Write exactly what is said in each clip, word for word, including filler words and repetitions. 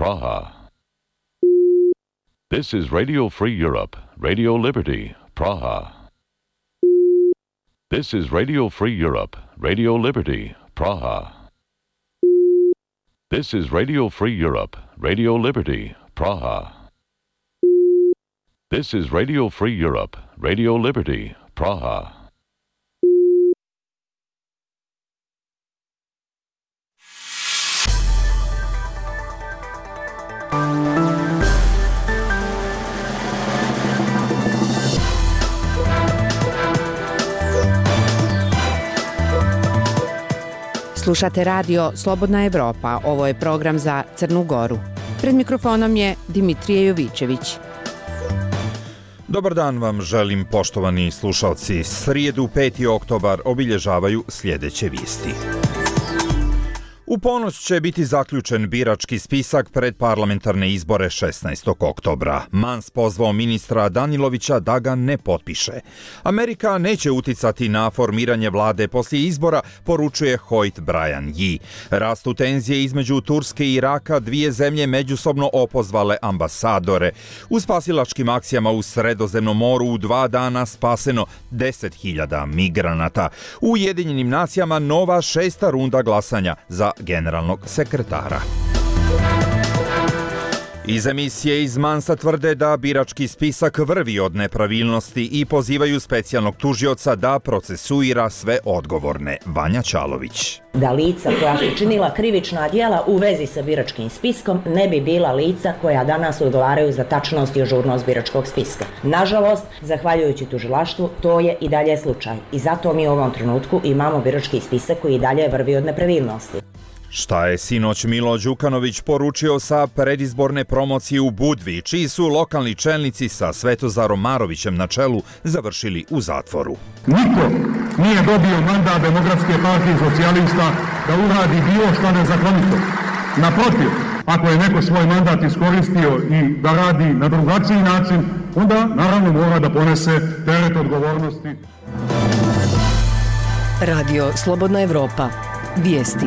Praha. This is Radio Free Europe, Radio Liberty, Praha. This is Radio Free Europe, Radio Liberty, Praha. This is Radio Free Europe, Radio Liberty, Praha. This is Radio Free Europe, Radio Liberty, Praha. Slušate radio Slobodna Evropa, ovo je program za Crnu Goru. Pred mikrofonom je Dimitrije Jovićević. Dobar dan vam želim, poštovani slušalci. Srijedu peti oktobar obilježavaju sljedeće vijesti. U ponoć će biti zaključen birački spisak pred parlamentarne izbore šesnaestog oktobra. Mans pozvao ministra Danilovića da ga ne potpiše. Amerika neće uticati na formiranje vlade poslije izbora, poručuje Hoyt Brian Yee. Rastu tenzije između Turske i Iraka, dvije zemlje međusobno opozvale ambasadore. U spasilačkim akcijama u Sredozemnom moru u dva dana spaseno deset hiljada migranata. U Ujedinjenim nacijama nova šesta runda glasanja za generalnog sekretara. Iz emisije iz Mansa tvrde da birački spisak vrvi od nepravilnosti i pozivaju specijalnog tužioca da procesuira sve odgovorne. Vanja Čalović. Da lica koja su činila krivična djela u vezi sa biračkim spiskom ne bi bila lica koja danas odgovaraju za tačnost i ažurnost biračkog spiska. Nažalost, zahvaljujući tužilaštvu, to je i dalje slučaj. I zato mi u ovom trenutku imamo birački spisak koji i dalje vrvi od nepravilnosti. Šta je sinoć Milo Đukanović poručio sa predizborne promocije u Budvi, čiji su lokalni čelnici sa Svetozarom Marovićem na čelu završili u zatvoru? Niko nije dobio mandat Demokratske partije socijalista da uradi bilo što nezakonito. Naprotiv, ako je neko svoj mandat iskoristio i da radi na drugačiji način, onda naravno mora da ponese teret odgovornosti. Radio Slobodna Evropa. Vijesti.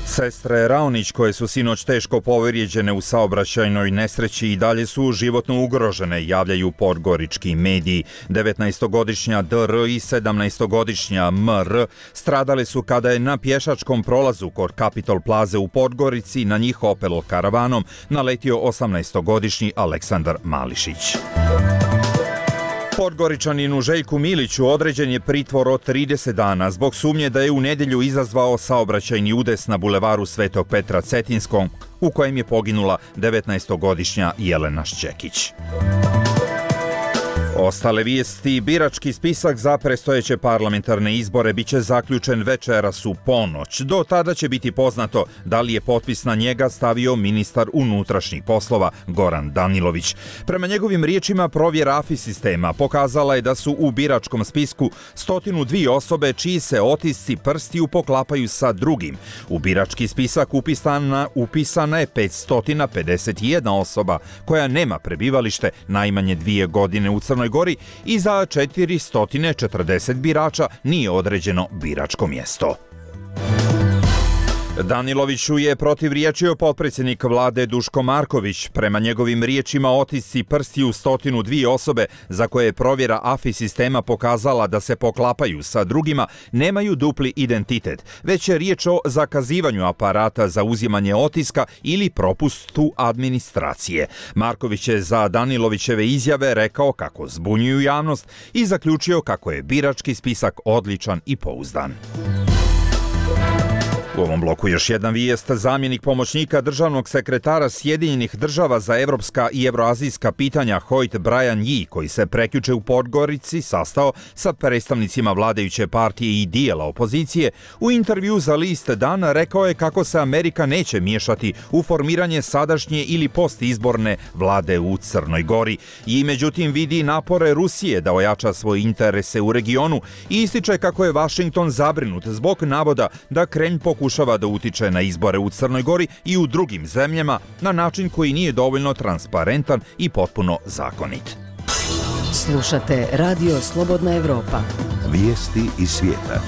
Sestre Raonić, koje su sinoć teško povrijeđene u saobraćajnoj nesreći, i dalje su životno ugrožene, javljaju podgorički mediji. devetnaestogodišnja D R i sedamnaestogodišnja M R stradale su kada je na pješačkom prolazu kod Capitol Plaze u Podgorici na njih Opel karavanom naletio osamnaestogodišnji Aleksandar Mališić. Podgoričaninu Željku Miliću određen je pritvor od trideset dana zbog sumnje da je u nedjelju izazvao saobraćajni udes na bulevaru Svetog Petra Cetinskog, u kojem je poginula devetnaestogodišnja Jelena Šćekić. Ostale vijesti: birački spisak za predstojeće parlamentarne izbore biće zaključen večeras u ponoć. Do tada će biti poznato da li je potpis na njega stavio ministar unutrašnjih poslova Goran Danilović. Prema njegovim riječima, provjera A F I sistema pokazala je da su u biračkom spisku stotinu dvije osobe čiji se otisci prstiju poklapaju sa drugim. U birački spisak upisana, upisana je petsto pedeset jedna osoba koja nema prebivalište najmanje dvije godine u Crnoj Gori i za četiristo četrdeset birača nije određeno biračko mjesto. Daniloviću je protivriječio potpredsjednik vlade Duško Marković. Prema njegovim riječima, otisci prstiju stotinu dvije osobe za koje je provjera A F I sistema pokazala da se poklapaju sa drugima nemaju dupli identitet, već je riječ o zakazivanju aparata za uzimanje otiska ili propustu administracije. Marković je za Danilovićeve izjave rekao kako zbunjuju javnost i zaključio kako je birački spisak odličan i pouzdan. U ovom bloku još jedna vijest. Zamjenik pomoćnika državnog sekretara Sjedinjenih država za evropska i evroazijska pitanja Hoyt Brian Yee, koji se prekjuče u Podgorici sastao sa predstavnicima vladajuće partije i dijela opozicije, u intervju za list Dan rekao je kako se Amerika neće miješati u formiranje sadašnje ili postizborne vlade u Crnoj Gori. I međutim vidi napore Rusije da ojača svoje interese u regionu i ističe kako je Washington zabrinut zbog navoda da Kremlj pokušava da utiče na izbore u Crnoj Gori i u drugim zemljama na način koji nije dovoljno transparentan i potpuno zakonit. Slušate Radio Slobodna Evropa. Vijesti iz svijeta.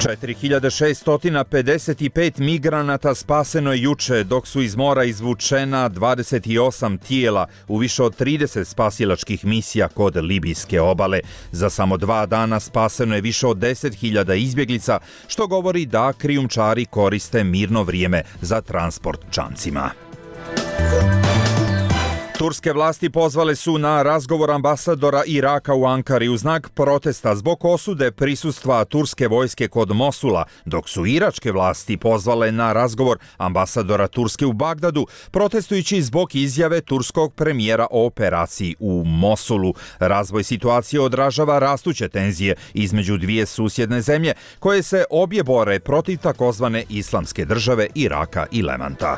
četiri hiljade šessto pedeset pet migranata spaseno je juče, dok su iz mora izvučena dvadeset osam tijela u više od trideset spasilačkih misija kod libijske obale. Za samo dva dana spaseno je više od deset hiljada izbjeglica, što govori da krijumčari koriste mirno vrijeme za transport čamcima. Turske vlasti pozvale su na razgovor ambasadora Iraka u Ankari u znak protesta zbog osude prisustva turske vojske kod Mosula, dok su iračke vlasti pozvale na razgovor ambasadora Turske u Bagdadu, protestujući zbog izjave turskog premijera o operaciji u Mosulu. Razvoj situacije odražava rastuće tenzije između dvije susjedne zemlje, koje se obje bore protiv takozvane islamske države Iraka i Levanta.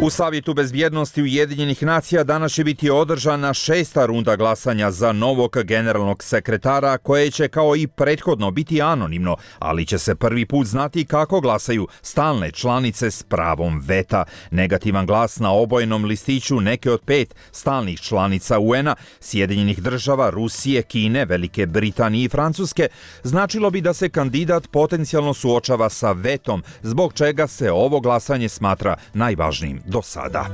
U Savjetu bezbjednosti Ujedinjenih nacija danas će biti održana šesta runda glasanja za novog generalnog sekretara, koje će kao i prethodno biti anonimno, ali će se prvi put znati kako glasaju stalne članice s pravom veta. Negativan glas na obojenom listiću neke od pet stalnih članica U N-a, Sjedinjenih država, Rusije, Kine, Velike Britanije i Francuske, značilo bi da se kandidat potencijalno suočava sa vetom, zbog čega se ovo glasanje smatra najvažnijim do sada.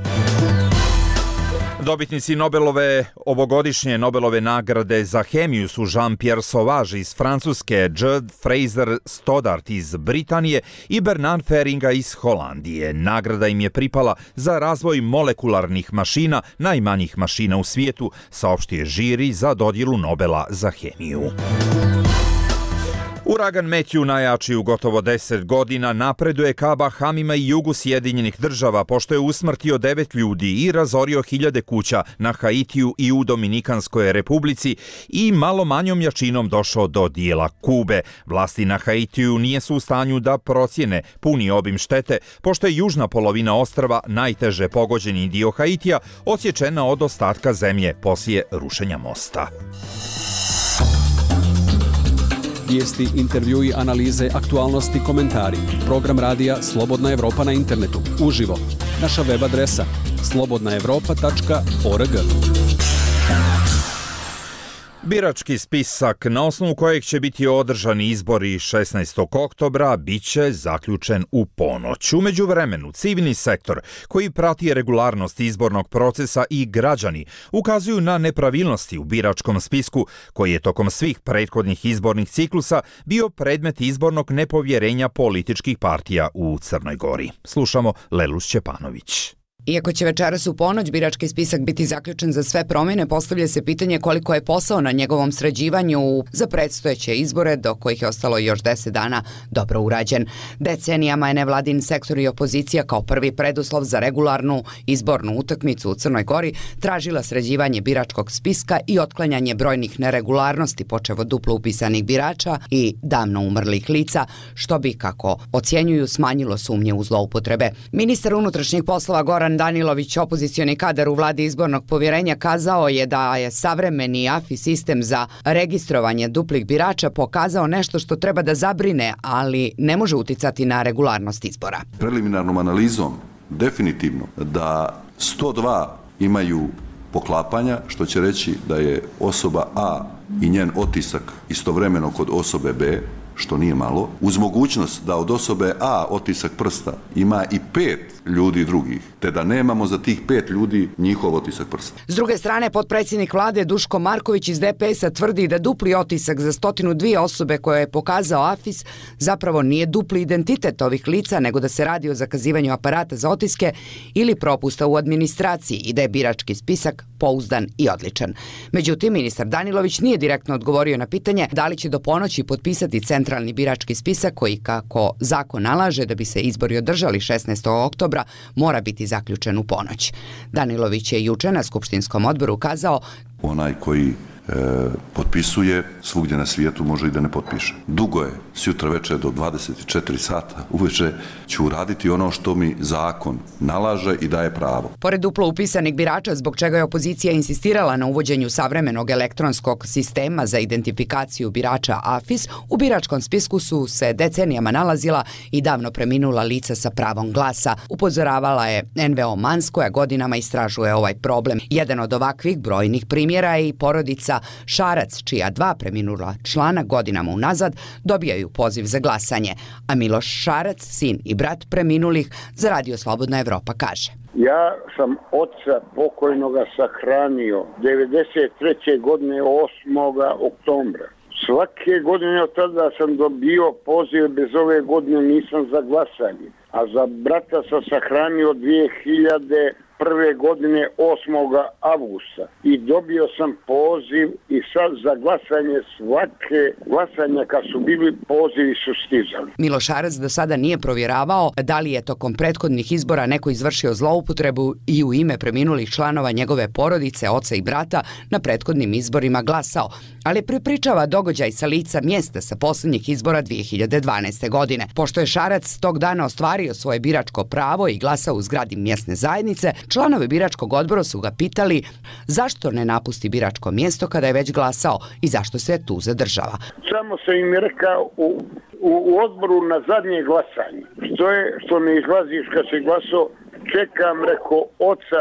Dobitnici Nobelove ovogodišnje Nobelove nagrade za hemiju su Jean-Pierre Sauvage iz Francuske, Jude Fraser Stoddart iz Britanije i Bernard Feringa iz Holandije. Nagrada im je pripala za razvoj molekularnih mašina, najmanjih mašina u svijetu, saopštio je žiri za dodjelu Nobela za hemiju. Uragan Matthew, najjači u gotovo deset godina, napreduje ka Bahamima i jugu Sjedinjenih država, pošto je usmrtio devet ljudi i razorio hiljade kuća na Haitiju i u Dominikanskoj republici i malo manjom jačinom došao do dijela Kube. Vlasti na Haitiju nije su u stanju da procjene puni obim štete, pošto je južna polovina ostrva, najteže pogođeni dio Haitija, odsječena od ostatka zemlje poslije rušenja mosta. Vijesti, intervjui, analize, aktualnosti, komentari. Program radija Slobodna Evropa na internetu. Uživo. Naša web adresa slobodna evropa tačka org. Birački spisak na osnovu kojeg će biti održani izbori šesnaestog oktobra bit će zaključen u ponoć. U međuvremenu, civilni sektor koji prati regularnost izbornog procesa i građani ukazuju na nepravilnosti u biračkom spisku koji je tokom svih prethodnih izbornih ciklusa bio predmet izbornog nepovjerenja političkih partija u Crnoj Gori. Slušamo Lelu Šćepanović. Iako će večeras u ponoć birački spisak biti zaključen za sve promjene, postavlja se pitanje koliko je posao na njegovom sređivanju za predstojeće izbore, do kojih je ostalo još deset dana, dobro urađen. Decenijama je nevladin sektor i opozicija kao prvi preduslov za regularnu izbornu utakmicu u Crnoj Gori tražila sređivanje biračkog spiska i otklanjanje brojnih neregularnosti, počev od duplo upisanih birača i davno umrlih lica, što bi, kako ocjenjuju, smanjilo sumnje u zloupotrebe. Ministar unutrašnjih poslova Goran Danilović, opozicioni kadar u vladi izbornog povjerenja, kazao je da je savremeni A F I sistem za registrovanje duplih birača pokazao nešto što treba da zabrine, ali ne može uticati na regularnost izbora. Preliminarnom analizom definitivno da sto dva imaju poklapanja, što će reći da je osoba A i njen otisak istovremeno kod osobe B, što nije malo, uz mogućnost da od osobe A otisak prsta ima i pet ljudi drugih, te da nemamo za tih pet ljudi njihov otisak prsta. S druge strane, potpredsjednik vlade Duško Marković iz D P S-a tvrdi da dupli otisak za stotinu dvije osobe koje je pokazao A F I S zapravo nije dupli identitet ovih lica, nego da se radi o zakazivanju aparata za otiske ili propusta u administraciji i da je birački spisak pouzdan i odličan. Međutim, ministar Danilović nije direktno odgovorio na pitanje da li će do ponoći potpisati centralni birački spisak koji, kako zakon nalaže, da bi se izbori održali šesnaestog oktobra, mora biti zaključen u ponoć. Danilović je juče na skupštinskom odboru kazao: onaj koji e, potpisuje svugdje na svijetu može i da ne potpiše. Dugo je, sjutra večer do dvadeset četiri sata uveče ću uraditi ono što mi zakon nalaže i daje pravo. Pored duplo upisanih birača, zbog čega je opozicija insistirala na uvođenju savremenog elektronskog sistema za identifikaciju birača A F I S, u biračkom spisku su se decenijama nalazila i davno preminula lica sa pravom glasa. Upozoravala je N V O Mans, koja godinama istražuje ovaj problem. Jedan od ovakvih brojnih primjera je i porodica Milorada Šarac, čija dva preminula člana godinama unazad dobijaju poziv za glasanje, a Miloš Šarac, sin i brat preminulih, za Radio Slobodna Evropa kaže: Ja sam oca pokojnoga sahranio devedeset treće godine osmog oktobra. Svake godine od tada sam dobio poziv, bez ove godine nisam za glasanje. A za brata sam sahranio dvije hiljade prve godine osmog avgusta i dobio sam poziv i sad za glasanje svake glasanja kad su bili pozivi su stizali. Miloš Šarac do sada nije provjeravao da li je tokom prethodnih izbora neko izvršio zloupotrebu i u ime preminulih članova njegove porodice, oca i brata, na prethodnim izborima glasao, ali prepričava događaj sa lica mjesta sa posljednjih izbora dvije hiljade dvanaeste. godine. Pošto je Šarac tog dana ostvario svoje biračko pravo i glasao u zgradi mjesne zajednice, članovi biračkog odbora su ga pitali zašto ne napusti biračko mjesto kada je već glasao i zašto se tu zadržava. Samo sam im rekao u, u, u odboru na zadnje glasanje, što je što ne izlaziš kad si glasao, čekam, reko, oca,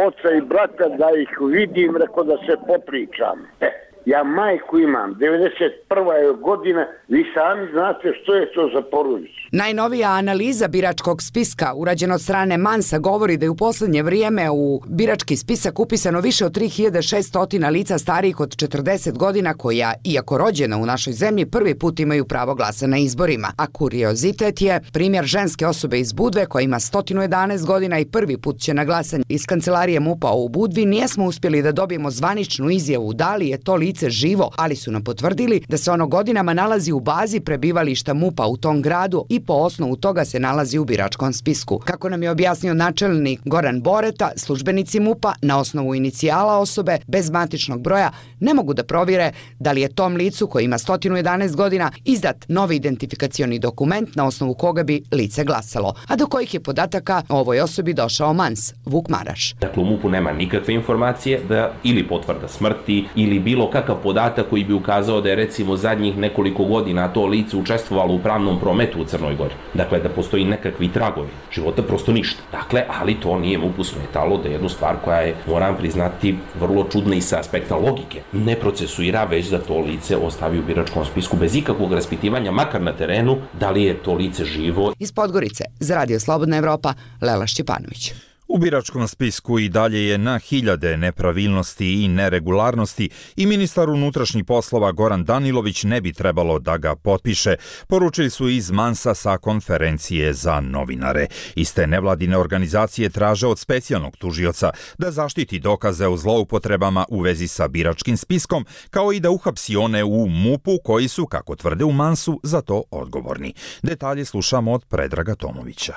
oca i brata da ih vidim, reko, da se popričam. E, ja majku imam, devedeset prva je godina, vi sami znate što je to za porodicu. Najnovija analiza biračkog spiska urađena od strane Mansa govori da je u posljednje vrijeme u birački spisak upisano više od tri hiljade šesto lica starijih od četrdeset godina koja, iako rođena u našoj zemlji, prvi put imaju pravo glasa na izborima. A kuriozitet je primjer ženske osobe iz Budve koja ima sto jedanaest godina i prvi put će na glasanje iz kancelarije MUP-a u Budvi. Nijesmo uspjeli da dobijemo zvaničnu izjavu da li je to lice živo, ali su nam potvrdili da se ono godinama nalazi u bazi prebivališta MUP-a u tom gradu i po osnovu toga se nalazi u biračkom spisku. Kako nam je objasnio načelnik Goran Boreta, službenici MUP-a na osnovu inicijala osobe bez matičnog broja ne mogu da provjere da li je tom licu koji ima sto jedanaest godina izdat novi identifikacioni dokument na osnovu koga bi lice glasalo, a do kojih je podataka o ovoj osobi došao Mans, Vuk Maraš. Dakle, u MUP-u nema nikakve informacije da ili potvrda smrti ili bilo kakav podatak koji bi ukazao da je recimo zadnjih nekoliko godina to lice učestvovalo u pravnom prometu u Crnoj Gori. Dakle, da postoji nekakvi tragovi života, prosto ništa. Dakle, ali to nije MUP-u smetalo da jednu stvar koja je, moram priznati, vrlo čudna i sa aspekta logike, ne procesuira, već da to lice ostavi u biračkom spisku bez ikakvog raspitivanja, makar na terenu, da li je to lice živo. Iz Podgorice, za Radio Slobodna Evropa, Lela Šćepanović. U biračkom spisku i dalje je na hiljade nepravilnosti i neregularnosti i ministar unutrašnjih poslova Goran Danilović ne bi trebalo da ga potpiše, poručili su iz Mansa sa konferencije za novinare. Iste nevladine organizacije traže od specijalnog tužioca da zaštiti dokaze o zloupotrebama u vezi sa biračkim spiskom, kao i da uhapsi one u MUP-u koji su, kako tvrde u Mansu, za to odgovorni. Detalje slušamo od Predraga Tomovića.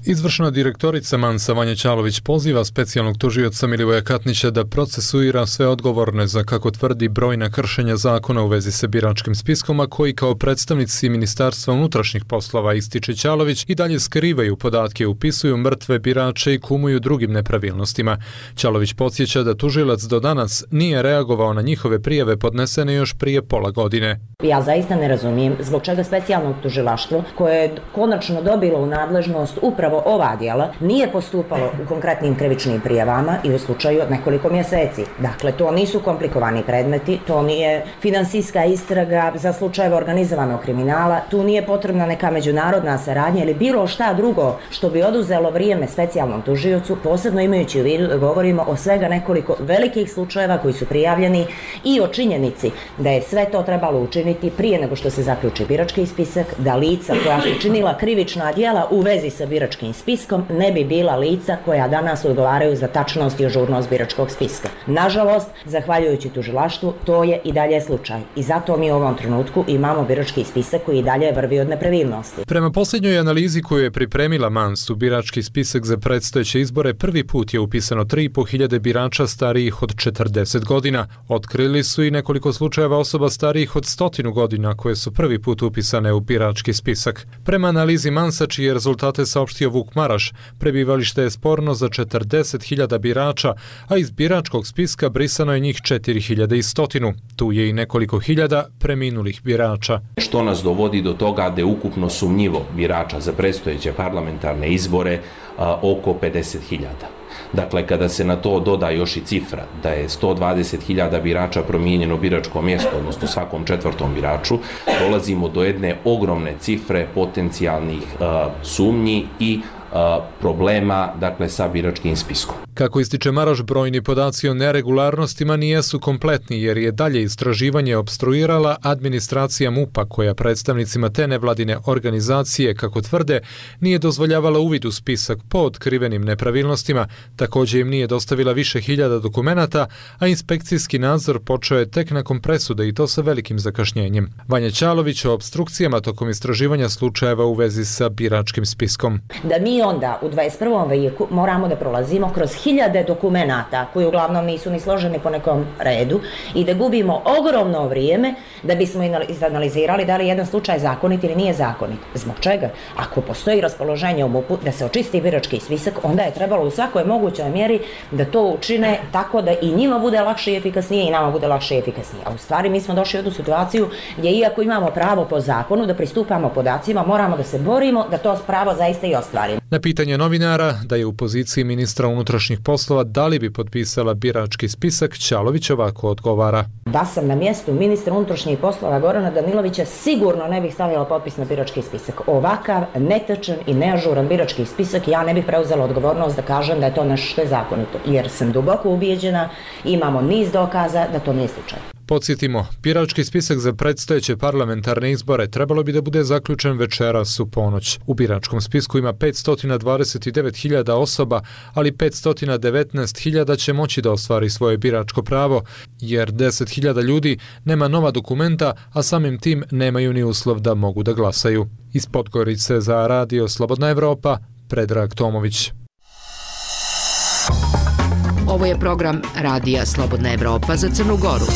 Izvršna direktorica Mansa Vanja Ćalović poziva specijalnog tužioca Milivoja Katnića da procesuira sve odgovorne za, kako tvrdi, brojna kršenja zakona u vezi sa biračkim spiskom, a koji kao predstavnici Ministarstva unutrašnjih poslova, ističe Ćalović, i dalje skrivaju podatke, upisuju mrtve birače i kumuju drugim nepravilnostima. Ćalović podsjeća da tužilac do danas nije reagovao na njihove prijave podnesene još prije pola godine. Ja zaista ne razumijem zbog čega specijalno tužilaštvo, koje je konačno dobilo u nadležnost upravo ova djela, nije postupalo u konkretnim krivičnim prijavama i u slučaju od nekoliko mjeseci. Dakle, to nisu komplikovani predmeti, to nije finansijska istraga za slučajeve organizovanog kriminala, tu nije potrebna neka međunarodna saradnja ili bilo šta drugo što bi oduzelo vrijeme specijalnom tužiocu, posebno imajući u vidu da govorimo o svega nekoliko velikih slučajeva koji su prijavljeni i o činjenici da je sve to trebalo učiniti prije nego što se zaključi birački spisak, da lica koja su činila krivična djela u vezi sa biračkim spiskom ne bi bila lica koja danas odgovaraju za tačnost i ažurnost biračkog spiska. Nažalost, zahvaljujući tužilaštvu, to je i dalje slučaj. I zato mi u ovom trenutku imamo birački spisak koji i dalje vrvi od nepravilnosti. Prema posljednjoj analizi koju je pripremila Mans, u birački spisak za predstojeće izbore prvi put je upisano tri i po hiljade birača starijih od četrdeset godina. Otkrili su i nekoliko slučajeva osoba starijih od stotinu godina koje su prvi put upisane u birački spisak. Prema analizi Mansa, čije rezultate saopštio Vuk Maraš, prebivalište je sporno za četrdeset hiljada birača, a iz biračkog spiska brisano je njih četiri hiljade sto. Tu je i nekoliko hiljada preminulih birača. Što nas dovodi do toga da je ukupno sumnjivo birača za predstojeće parlamentarne izbore a, oko pedeset hiljada. Dakle, kada se na to doda još i cifra da je sto dvadeset hiljada birača promijenjeno biračko mjesto, odnosno svakom četvrtom biraču, dolazimo do jedne ogromne cifre potencijalnih uh, sumnji i problema, dakle, sa biračkim spiskom. Kako ističe Maroš, brojni podaci o neregularnostima nijesu kompletni jer je dalje istraživanje opstruirala administracija MUP-a koja predstavnicima te nevladine organizacije, kako tvrde, nije dozvoljavala uvid u spisak po otkrivenim nepravilnostima, također im nije dostavila više hiljada dokumenata, a inspekcijski nadzor počeo je tek nakon presude i to sa velikim zakašnjenjem. Vanja Ćalović o opstrukcijama tokom istraživanja slučajeva u vezi sa biračkim spiskom. Da mi onda u dvadeset prvom vijeku moramo da prolazimo kroz hiljade dokumenata koji uglavnom nisu ni složeni po nekom redu i da gubimo ogromno vrijeme da bismo izanalizirali da li jedan slučaj zakonit ili nije zakonit. Zbog čega? Ako postoji raspoloženje u MUP-u da se očisti birački spisak, onda je trebalo u svakoj mogućoj mjeri da to učine tako da i njima bude lakše i efikasnije i nama bude lakše i efikasnije. A u stvari mi smo došli u tu situaciju gdje iako imamo pravo po zakonu da pristupamo podacima, moramo da se borimo da to pravo zaista i ostvarimo. Na pitanje novinara da je u poziciji ministra unutrašnjih poslova da li bi potpisala birački spisak, Ćalović ovako odgovara. Da sam na mjestu ministra unutrašnjih poslova Gorana Danilovića sigurno ne bih stavila potpis na birački spisak. Ovakav netačan i neažuran birački spisak ja ne bih preuzela odgovornost da kažem da je to nešto što je zakonito, jer sam duboko ubijeđena, imamo niz dokaza da to nije slučaj. Podsjetimo, birački spisak za predstojeće parlamentarne izbore trebalo bi da bude zaključen večeras u ponoć. U biračkom spisku ima petsto dvadeset devet hiljada osoba, ali petsto devetnaest hiljada će moći da ostvari svoje biračko pravo, jer deset hiljada ljudi nema nova dokumenta, a samim tim nemaju ni uslov da mogu da glasaju. Iz Podgorice za Radio Slobodna Evropa, Predrag Tomović. Ovo je program Radija Slobodna Evropa za Crnu Goru.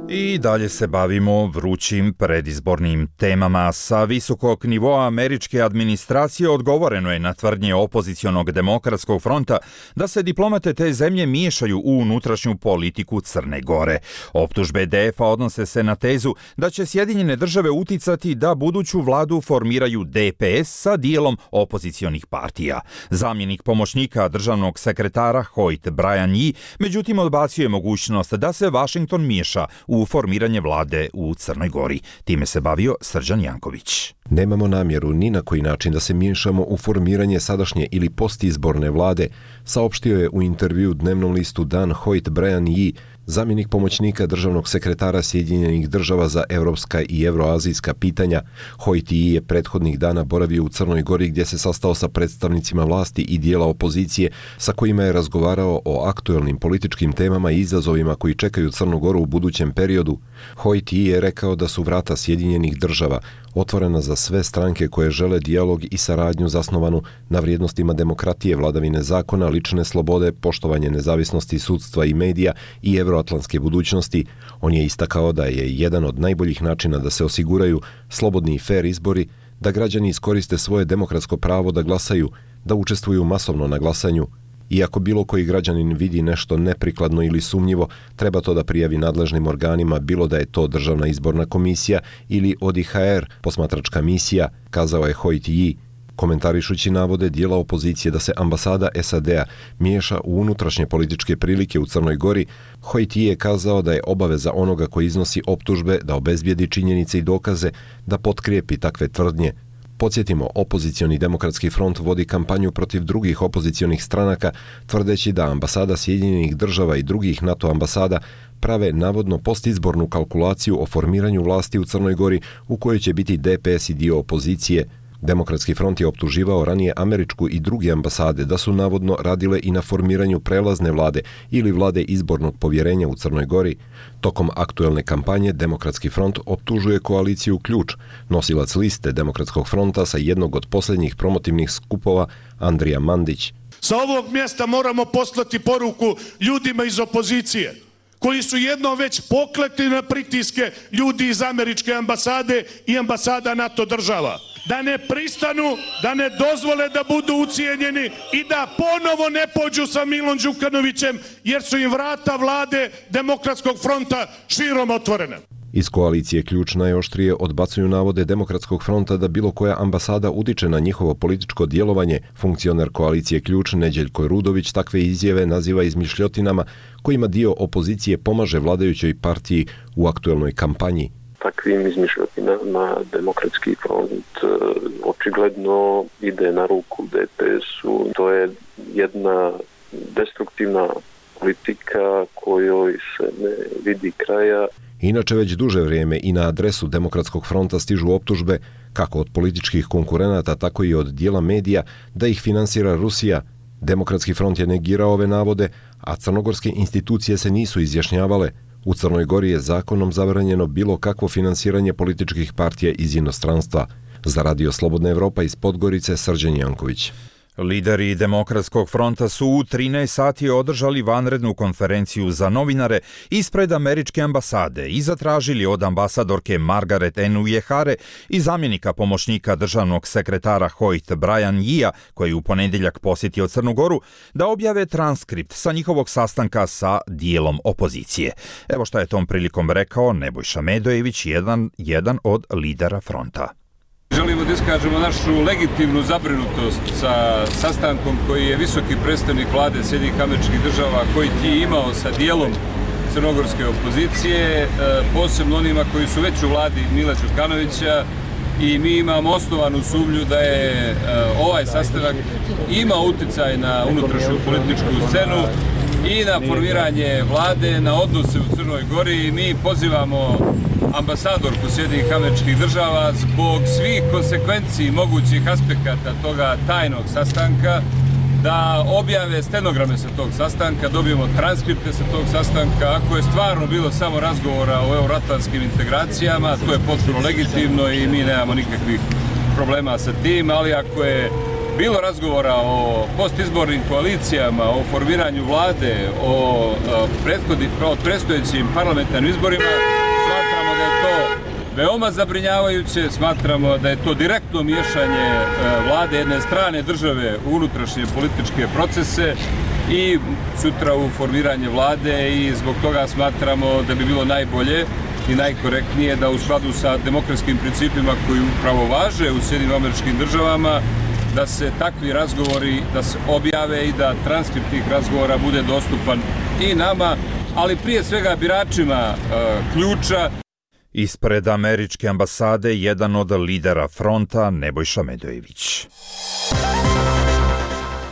I dalje se bavimo vrućim predizbornim temama. Sa visokog nivoa američke administracije odgovoreno je na tvrdnje opozicionog demokratskog fronta da se diplomate te zemlje miješaju u unutrašnju politiku Crne Gore. Optužbe D F-a odnose se na tezu da će Sjedinjene države uticati da buduću vladu formiraju D P S sa dijelom opozicionih partija. Zamjenik pomoćnika državnog sekretara Hoyt Brian Yee međutim odbacio mogućnost da se Washington miješa u u formiranje vlade u Crnoj Gori. Time se bavio Srđan Janković. Nemamo namjeru ni na koji način da se miješamo u formiranje sadašnje ili postizborne vlade, saopštio je u intervju dnevnom listu Dan Hoyt Brian Yee, zamjenik pomoćnika državnog sekretara Sjedinjenih država za evropska i evroazijska pitanja. Hoyt Yee je prethodnih dana boravio u Crnoj Gori gdje se sastao sa predstavnicima vlasti i dijela opozicije sa kojima je razgovarao o aktuelnim političkim temama i izazovima koji čekaju Crnu Goru u budućem periodu. Hoyt Yee je rekao da su vrata Sjedinjenih država otvorena za sve stranke koje žele dijalog i saradnju zasnovanu na vrijednostima demokratije, vladavine zakona, lične slobode, poštovanje nezavisnosti sudstva i medija i evroatlantske budućnosti. On je istakao da je jedan od najboljih načina da se osiguraju slobodni i fer izbori, da građani iskoriste svoje demokratsko pravo da glasaju, da učestvuju masovno na glasanju. Iako bilo koji građanin vidi nešto neprikladno ili sumnjivo, treba to da prijavi nadležnim organima, bilo da je to Državna izborna komisija ili O D I H R, posmatračka misija, kazao je Hoyt Yee, komentarišući navode dijela opozicije da se ambasada S A D-a miješa u unutrašnje političke prilike u Crnoj Gori. Hoyt Yee je kazao da je obaveza onoga koji iznosi optužbe da obezbijedi činjenice i dokaze, da potkrijepi takve tvrdnje. Podsjetimo, opozicioni demokratski front vodi kampanju protiv drugih opozicionih stranaka, tvrdeći da ambasada Sjedinjenih država i drugih NATO ambasada prave navodno postizbornu kalkulaciju o formiranju vlasti u Crnoj Gori u kojoj će biti D P S i dio opozicije. Demokratski front je optuživao ranije američku i druge ambasade da su navodno radile i na formiranju prelazne vlade ili vlade izbornog povjerenja u Crnoj Gori. Tokom aktuelne kampanje Demokratski front optužuje koaliciju Ključ, nosilac liste Demokratskog fronta sa jednog od posljednjih promotivnih skupova, Andrija Mandić. Sa ovog mjesta moramo poslati poruku ljudima iz opozicije, koji su jednom već poklekli na pritiske ljudi iz američke ambasade i ambasada NATO država, da ne pristanu, da ne dozvole da budu ucijenjeni i da ponovo ne pođu sa Milom Đukanovićem, jer su im vrata vlade Demokratskog fronta širom otvorene. Iz koalicije Ključ najoštrije odbacuju navode Demokratskog fronta da bilo koja ambasada utiče na njihovo političko djelovanje. Funkcioner koalicije Ključ Neđeljko Rudović takve izjave naziva izmišljotinama kojima dio opozicije pomaže vladajućoj partiji u aktuelnoj kampanji. Takvim izmišljotinama Demokratski front očigledno ide na ruku D P S-u. To je jedna destruktivna politika kojoj se ne vidi kraja. Inače već duže vrijeme i na adresu Demokratskog fronta stižu optužbe kako od političkih konkurenata, tako i od dijela medija da ih finansira Rusija. Demokratski front je negirao ove navode, a crnogorske institucije se nisu izjašnjavale. U Crnoj Gori je zakonom zabranjeno bilo kakvo finansiranje političkih partija iz inostranstva. Za Radio Slobodna Evropa iz Podgorice, Srđan Janković. Lideri Demokratskog fronta su u trinaest sati održali vanrednu konferenciju za novinare ispred američke ambasade i zatražili od ambasadorke Margaret Enujehare i zamjenika pomoćnika državnog sekretara Hoyt Brian Yea, koji u ponedjeljak posjetio Crnu Goru, da objave transkript sa njihovog sastanka sa dijelom opozicije. Evo šta je tom prilikom rekao Nebojša Medojević, jedan, jedan od lidera fronta. Želimo da iskažemo našu legitimnu zabrinutost sa sastankom koji je visoki predstavnik vlade Sjedinjenih Američkih Država, koji ti imao sa dijelom crnogorske opozicije, posebno onima koji su već u vladi Mila Đukanovića, i mi imamo osnovanu sumnju da je ovaj sastanak imao uticaj na unutrašnju političku scenu i na formiranje vlade, na odnose u Crnoj Gori. Mi pozivamo ambasadorku Sjedinjenih Američkih Država zbog svih konsekvenciji mogućih aspekata toga tajnog sastanka da objave stenograme sa tog sastanka, dobijemo transkripte sa tog sastanka. Ako je stvarno bilo samo razgovora o euroatlantskim integracijama, to je potpuno legitimno i mi nemamo nikakvih problema sa tim, ali ako je bilo razgovora o postizbornim koalicijama, o formiranju vlade, o predstojećim parlamentarnim izborima, smatramo da je to veoma zabrinjavajuće, smatramo da je to direktno miješanje vlade jedne strane države u unutrašnje političke procese i sutra u formiranje vlade, i zbog toga smatramo da bi bilo najbolje i najkorektnije da u skladu sa demokratskim principima koji upravo važe u Sjedinjenim Američkim Državama, da se takvi razgovori da se objave i da transkript tih razgovora bude dostupan i nama, ali prije svega biračima Ključa. Ispred američke ambasade jedan od lidera fronta Nebojša Medojević.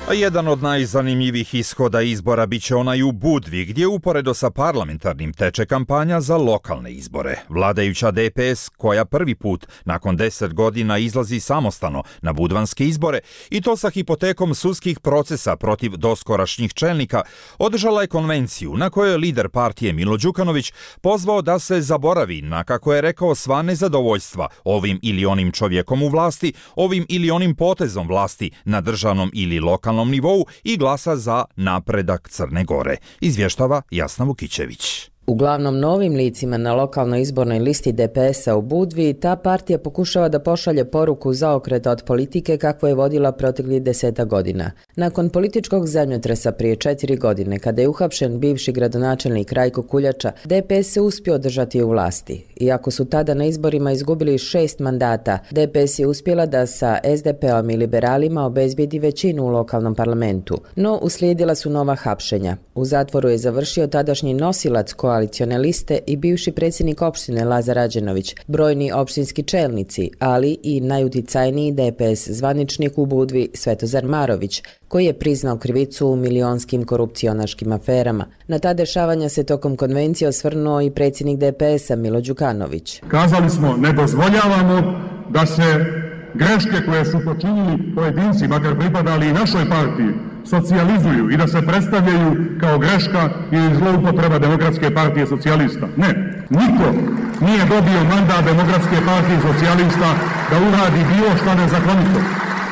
A jedan od najzanimljivih ishoda izbora biće onaj u Budvi, gdje uporedo sa parlamentarnim teče kampanja za lokalne izbore. Vladajuća D P S, koja prvi put nakon deset godina izlazi samostalno na budvanske izbore, i to sa hipotekom sudskih procesa protiv doskorašnjih čelnika, održala je konvenciju na kojoj je lider partije Milo Đukanović pozvao da se zaboravi na, kako je rekao, sva nezadovoljstva ovim ili onim čovjekom u vlasti, ovim ili onim potezom vlasti na državnom ili lokalnom nivou i glasa za napredak Crne Gore, izvještava Jasna Vukićević. Uglavnom novim licima na lokalnoj izbornoj listi D P S-a u Budvi, ta partija pokušava da pošalje poruku zaokreta od politike kakvu je vodila proteklih deseta godina. Nakon političkog zemljotresa prije četiri godine, kada je uhapšen bivši gradonačelnik Rajko Kuljača, D P S se uspio održati u vlasti. Iako su tada na izborima izgubili šest mandata, D P S je uspjela da sa S D P-om i liberalima obezbijedi većinu u lokalnom parlamentu. No, uslijedila su nova hapšenja. U zatvoru je završio tadašnji nosilac koalicione liste i bivši predsjednik opštine Lazar Rađenović, brojni opštinski čelnici, ali i najuticajniji D P S zvaničnik u Budvi Svetozar Marović, koji je priznao krivicu u milionskim korupcionaškim aferama. Na ta dešavanja se tokom konvencije osvrnuo i predsjednik D P S-a Milo Đukanović. Kazali smo, ne dozvoljavamo da se greške koje su počinili pojedinci, makar pripadali i našoj partiji, socijalizuju i da se predstavljaju kao greška ili zloupotreba Demokratske partije socijalista. Ne, niko nije dobio mandat Demokratske partije socijalista da uradi bilo šta nezakonito.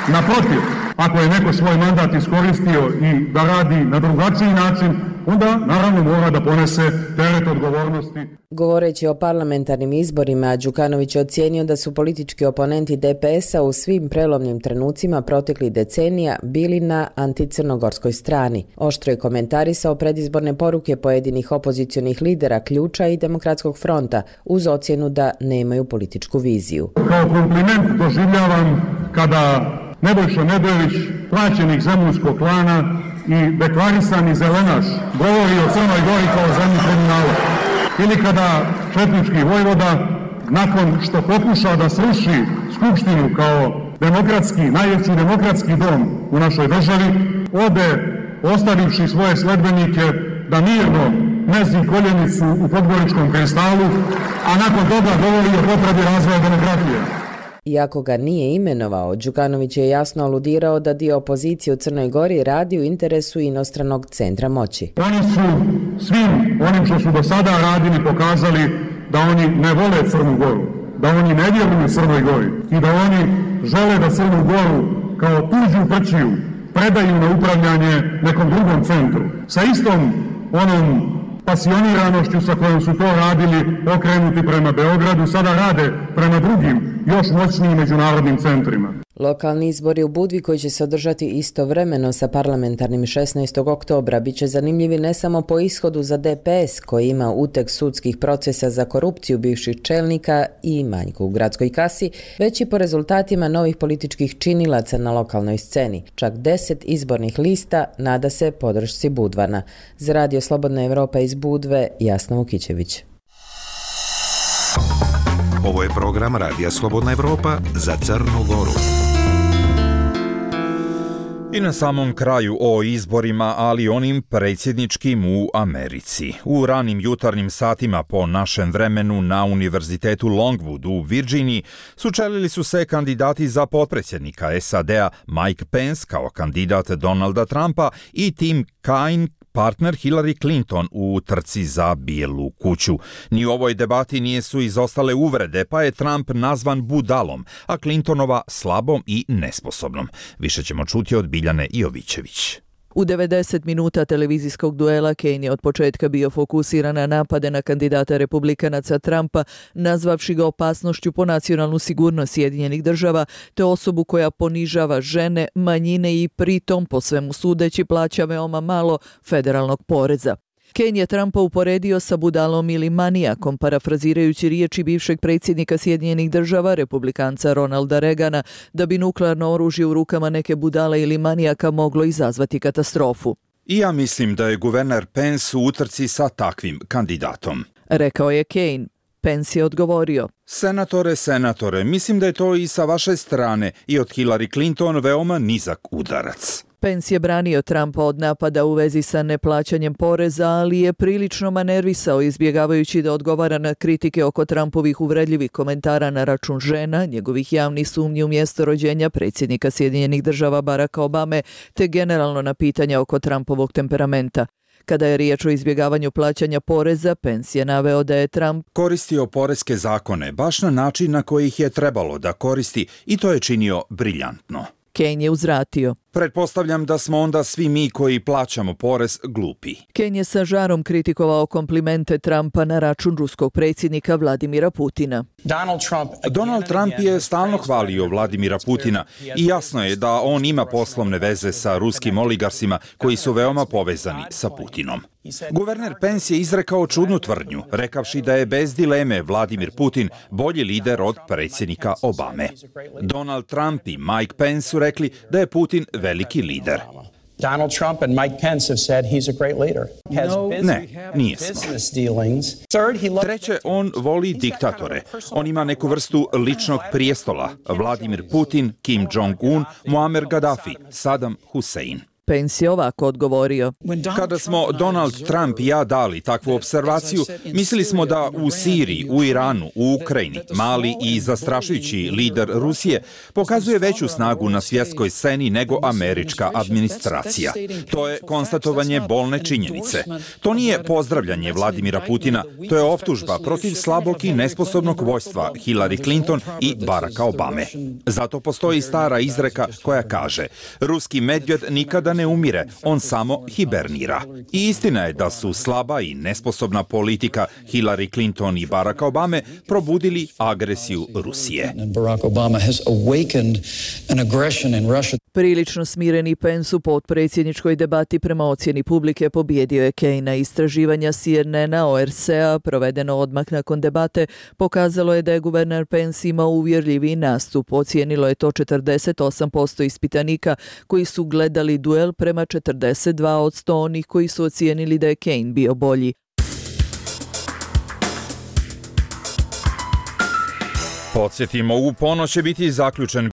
Naprotiv, ako je neko svoj mandat iskoristio i da radi na drugačiji način, onda naravno mora da ponese teret odgovornosti. Govoreći o parlamentarnim izborima, Đukanović je ocijenio da su politički oponenti D P S-a u svim prelomnim trenucima proteklih decenija bili na anticrnogorskoj strani. Oštro je komentarisao predizborne poruke pojedinih opozicionih lidera Ključa i Demokratskog fronta uz ocjenu da nemaju političku viziju. Kao kompliment doživljavam kada Nebojša Nedeljvić, plaćenik zemunskog klana i deklarisani zelenaš, govori o Crnoj Gori kao zemlji kriminala. Ili kada četnički vojvoda, nakon što pokuša da sruši Skupštinu kao demokratski, najveći demokratski dom u našoj državi, ode ostavivši svoje sledbenike da mirno mezi koljenicu u Podgoričkom kristalu, a nakon toga govori o potrebi razvoja demokratije. Iako ga nije imenovao, Đukanović je jasno aludirao da dio opozicije u Crnoj Gori radi u interesu inostranog centra moći. Oni su svim onim što su do sada radili pokazali da oni ne vole Crnu Goru, da oni ne vjeruju Crnoj Gori i da oni žele da Crnu Goru kao tuđu prćiju predaju na upravljanje nekom drugom centru. Sa istom onom pasioniranošću sa kojom su to radili okrenuti prema Beogradu, sada rade prema drugim, još moćnijim međunarodnim centrima. Lokalni izbori u Budvi koji će se održati istovremeno sa parlamentarnim šesnaestog oktobra bit će zanimljivi ne samo po ishodu za D P S koji ima uteg sudskih procesa za korupciju bivših čelnika i manjku u gradskoj kasi, već i po rezultatima novih političkih činilaca na lokalnoj sceni. Čak deset izbornih lista nada se podršci Budvana. Za Radio Slobodna Evropa iz Budve, Jasna Vukićević. Ovo je program Radija Slobodna Evropa za Crnu Goru. I na samom kraju o izborima, ali onim predsjedničkim u Americi. U ranim jutarnjim satima po našem vremenu na Univerzitetu Longwood u Virginiji sučelili su se kandidati za potpredsjednika S A D-a Mike Pence kao kandidat Donalda Trumpa i Tim Kaine, partner Hillary Clinton u trci za Bijelu kuću. Ni u ovoj debati nije su izostale uvrede, pa je Trump nazvan budalom, a Clintonova slabom i nesposobnom. Više ćemo čuti od Biljane Jovićević. U devedeset minuta televizijskog duela Kaine je od početka bio fokusiran na napade na kandidata republikanaca Trumpa, nazvavši ga opasnošću po nacionalnu sigurnost Sjedinjenih država, te osobu koja ponižava žene, manjine i pritom, po svemu sudeći, plaća veoma malo federalnog poreza. Kaine je Trumpa uporedio sa budalom ili manijakom, parafrazirajući riječi bivšeg predsjednika Sjedinjenih država, republikanca Ronalda Reagana, da bi nuklearno oružje u rukama neke budale ili manijaka moglo izazvati katastrofu. I ja mislim da je guverner Pence u utrci sa takvim kandidatom, rekao je Kaine. Pence je odgovorio: Senatore, senatore, mislim da je to i sa vaše strane i od Hillary Clinton veoma nizak udarac. Pence je branio Trumpa od napada u vezi sa neplaćanjem poreza, ali je prilično manervisao izbjegavajući da odgovara na kritike oko Trumpovih uvredljivih komentara na račun žena, njegovih javnih sumnji u mjesto rođenja predsjednika Sjedinjenih država Baracka Obame, te generalno na pitanja oko Trumpovog temperamenta. Kada je riječ o izbjegavanju plaćanja poreza, Pence je naveo da je Trump koristio poreske zakone baš na način na koji ih je trebalo da koristi i to je činio briljantno. Kaine je uzvratio: Pretpostavljam da smo onda svi mi koji plaćamo porez glupi. Kaine je sa žarom kritikovao komplimente Trumpa na račun ruskog predsjednika Vladimira Putina. Donald Trump, Donald Trump je stalno hvalio Vladimira Putina i jasno je da on ima poslovne veze sa ruskim oligarsima koji su veoma povezani sa Putinom. Guverner Pence je izrekao čudnu tvrdnju, rekavši da je bez dileme Vladimir Putin bolji lider od predsjednika Obame. Donald Trump i Mike Pence su rekli da je Putin veliki lider. Donald Trump and Mike Pence have said he's a great leader. Ne, nije smo. Treće, on voli diktatore. On ima neku vrstu ličnog prijestola. Vladimir Putin, Kim Jong-un, Muammar Gaddafi, Saddam Hussein. Pence je ovako odgovorio: Kada smo Donald Trump i ja dali takvu observaciju, mislili smo da u Siriji, u Iranu, u Ukrajini, mali i zastrašujući lider Rusije pokazuje veću snagu na svjetskoj sceni nego američka administracija. To je konstatovanje bolne činjenice. To nije pozdravljanje Vladimira Putina, to je optužba protiv slabog i nesposobnog vojstva Hillary Clinton i Baracka Obame. Zato postoji stara izreka koja kaže: ruski medvjed nikada da ne umire, on samo hibernira. I istina je da su slaba i nesposobna politika Hillary Clinton i Baracka Obame probudili agresiju Rusije. Prilično smireni Pence u potpredsjedničkoj debati prema ocjeni publike pobjedio je Kejna. Istraživanja C N N-a O R C-a provedeno odmah nakon debate pokazalo je da je guverner Pence imao uvjerljiviji nastup. Ocijenilo je to četrdeset osam posto ispitanika koji su gledali duel prema četrdeset dva posto onih koji su ocijenili da je Kane bio bolji. Podsjetimo, u ponoć će biti zaključen